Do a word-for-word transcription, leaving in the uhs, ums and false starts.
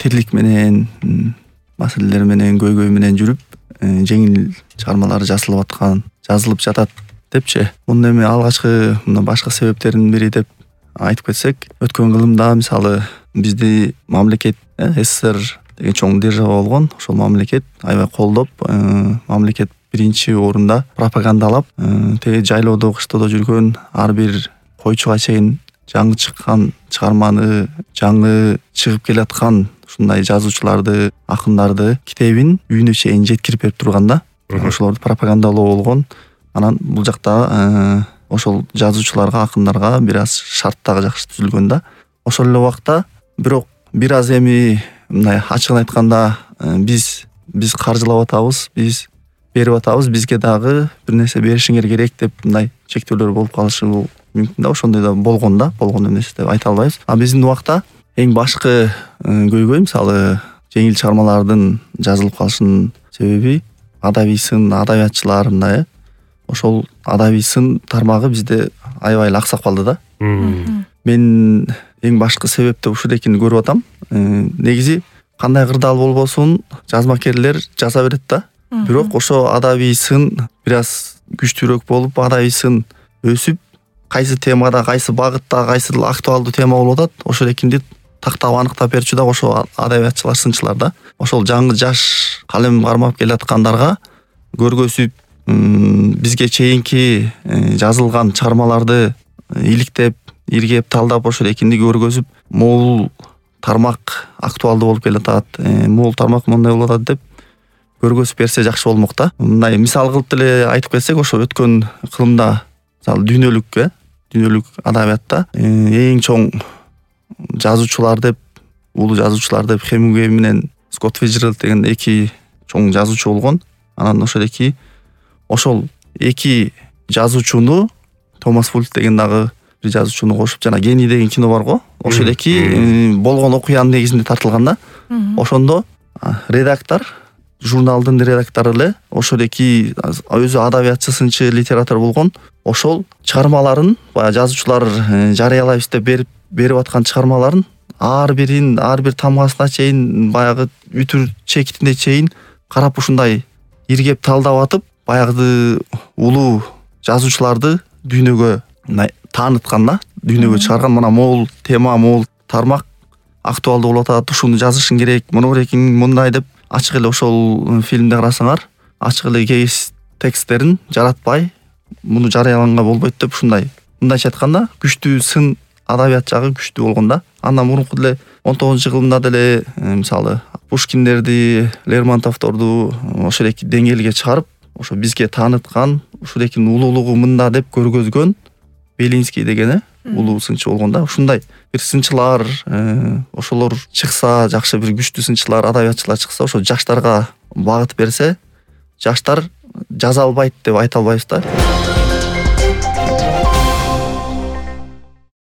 тирлик менен, маселелер менен, көйгөй менен жүрүп, жеңил чыгармалар жазылып аткан, жазылып жатат депчи. Мунун эми алгачкы мына башка себептеринин бири деп айтып кетсек, өткөн кылымда мисалы бизди мамлекет СССР деген чоң держава болгон, ошол мамлекет аябай колдоп, мамлекет биринчи орунда пропагандалап, теги жайлоодо, кыштоодо жүргөн ар бир койчуга чейин жаңы чыккан чыгарманы, жаңы чыгып келаткан ушундай жазуучуларды, акындарды китебин үйүнө чейин жеткирип берип турганда, ошолорду пропагандалоо болгон. Анан бул жакта ошол жазуучуларга, акындарга бир аз шарт дагы жакшы түзүлгөн да. Ошол эле убакта бирок бир аз эми мындай ачыгын айтканда биз биз каржылап атабыз, биз берип атабыз, бизге дагы бир нерсе беришиңер керек деп мындай чектөөлөр болуп калышы мүмкүн да. Ошондой да болгон да, болгон эмес деп айта албайбыз. А биздин убакта эң башкы көйгөй мисалы жеңил чыгармалардын жазылып калышынын себеби адабий сын, адабиятчылар мындай ошол адабий сын тармагы бизде аябай эле аксап калды да. Мен эң башкы себеп деп ушул экенин көрүп атам. Негизи кандай кырдаал болбосун жазмакерлер жаза берет да. Бирок ошо адабий сын бир аз күчтүүрөөк болуп, адабий сын өсүп, кайсы темада, кайсы багытта, кайсы актуалдуу тема болуп атат, ошол экинди тактап аныктап берчү да ошо адабиятчылар, сынчылар да. Ошол жаңы жаш калем кармап келаткандарга көргөзүп, бизге чейинки жазылган чыгармаларды иликтеп, иргеп, талдап ошол экинди көргөзүп, могул тармак актуалдуу болуп келатат, могул тармак мындай болуп атат деп көргөзүп берсе жакшы болмок да. Мындай мисал кылып деле айтып кетсек, ошо өткөн кылымда мисалы дүйнөлүк, дүйнөлүк адабиятта эң чоң жазуучулар деп, улуу жазуучулар деп Хемингуэй менен Скотт Фиджеральд деген эки чоң жазуучу болгон. Анан ошол эки ошол эки жазуучуну Томас Фульт деген дагы бир жазуучуну кошуп, жана Гений деген кино бар го. Ошол эки болгон окуянын негизинде тартылган да. Ошондо редактор, журналдын редактору эле ошол эки өзү адабиятчы, сынчы, литератор болгон. Ошол чыгармаларын баягы жазуучулар жарыялайбыз деп берип берип аткан чыгармаларын ар бирин, ар бир тамгасына чейин, баягы үтүр чекитине чейин карап ушундай иргеп талдап атып, баягы улуу жазуучуларды дүйнөгө тааныткан да, дүйнөгө чыгарган. Мына могул тема, могул тармак актуалдуу болуп атат, ушуну жазышың керек, муну керекиң мындай деп ачык эле ошол фильмде карасаңар, ачык эле кеңеш тексттерин жаратпай, муну жарыяланга болбойт деп ушундай мындайча айтканда күчтүү сын, адабият жагы күчтүү болгон да. Андан мурунку деле он тогузунчу кылымда деле мисалы Пушкиндерди, Лермонтовдорду ошол эки деңгээлге чыгарып, ошо бизге тааныткан, ушул экинин улуулугу мында деп көргөзгөн Белинский деген улуу сынчы болгон да. Ушундай бир сынчылар, ошолор чыкса, жакшы бир күчтүү сынчылар, адабиятчылар чыкса, ошо жаштарга багыт берсе, жаштар жаза албайт деп айта албайбыз да.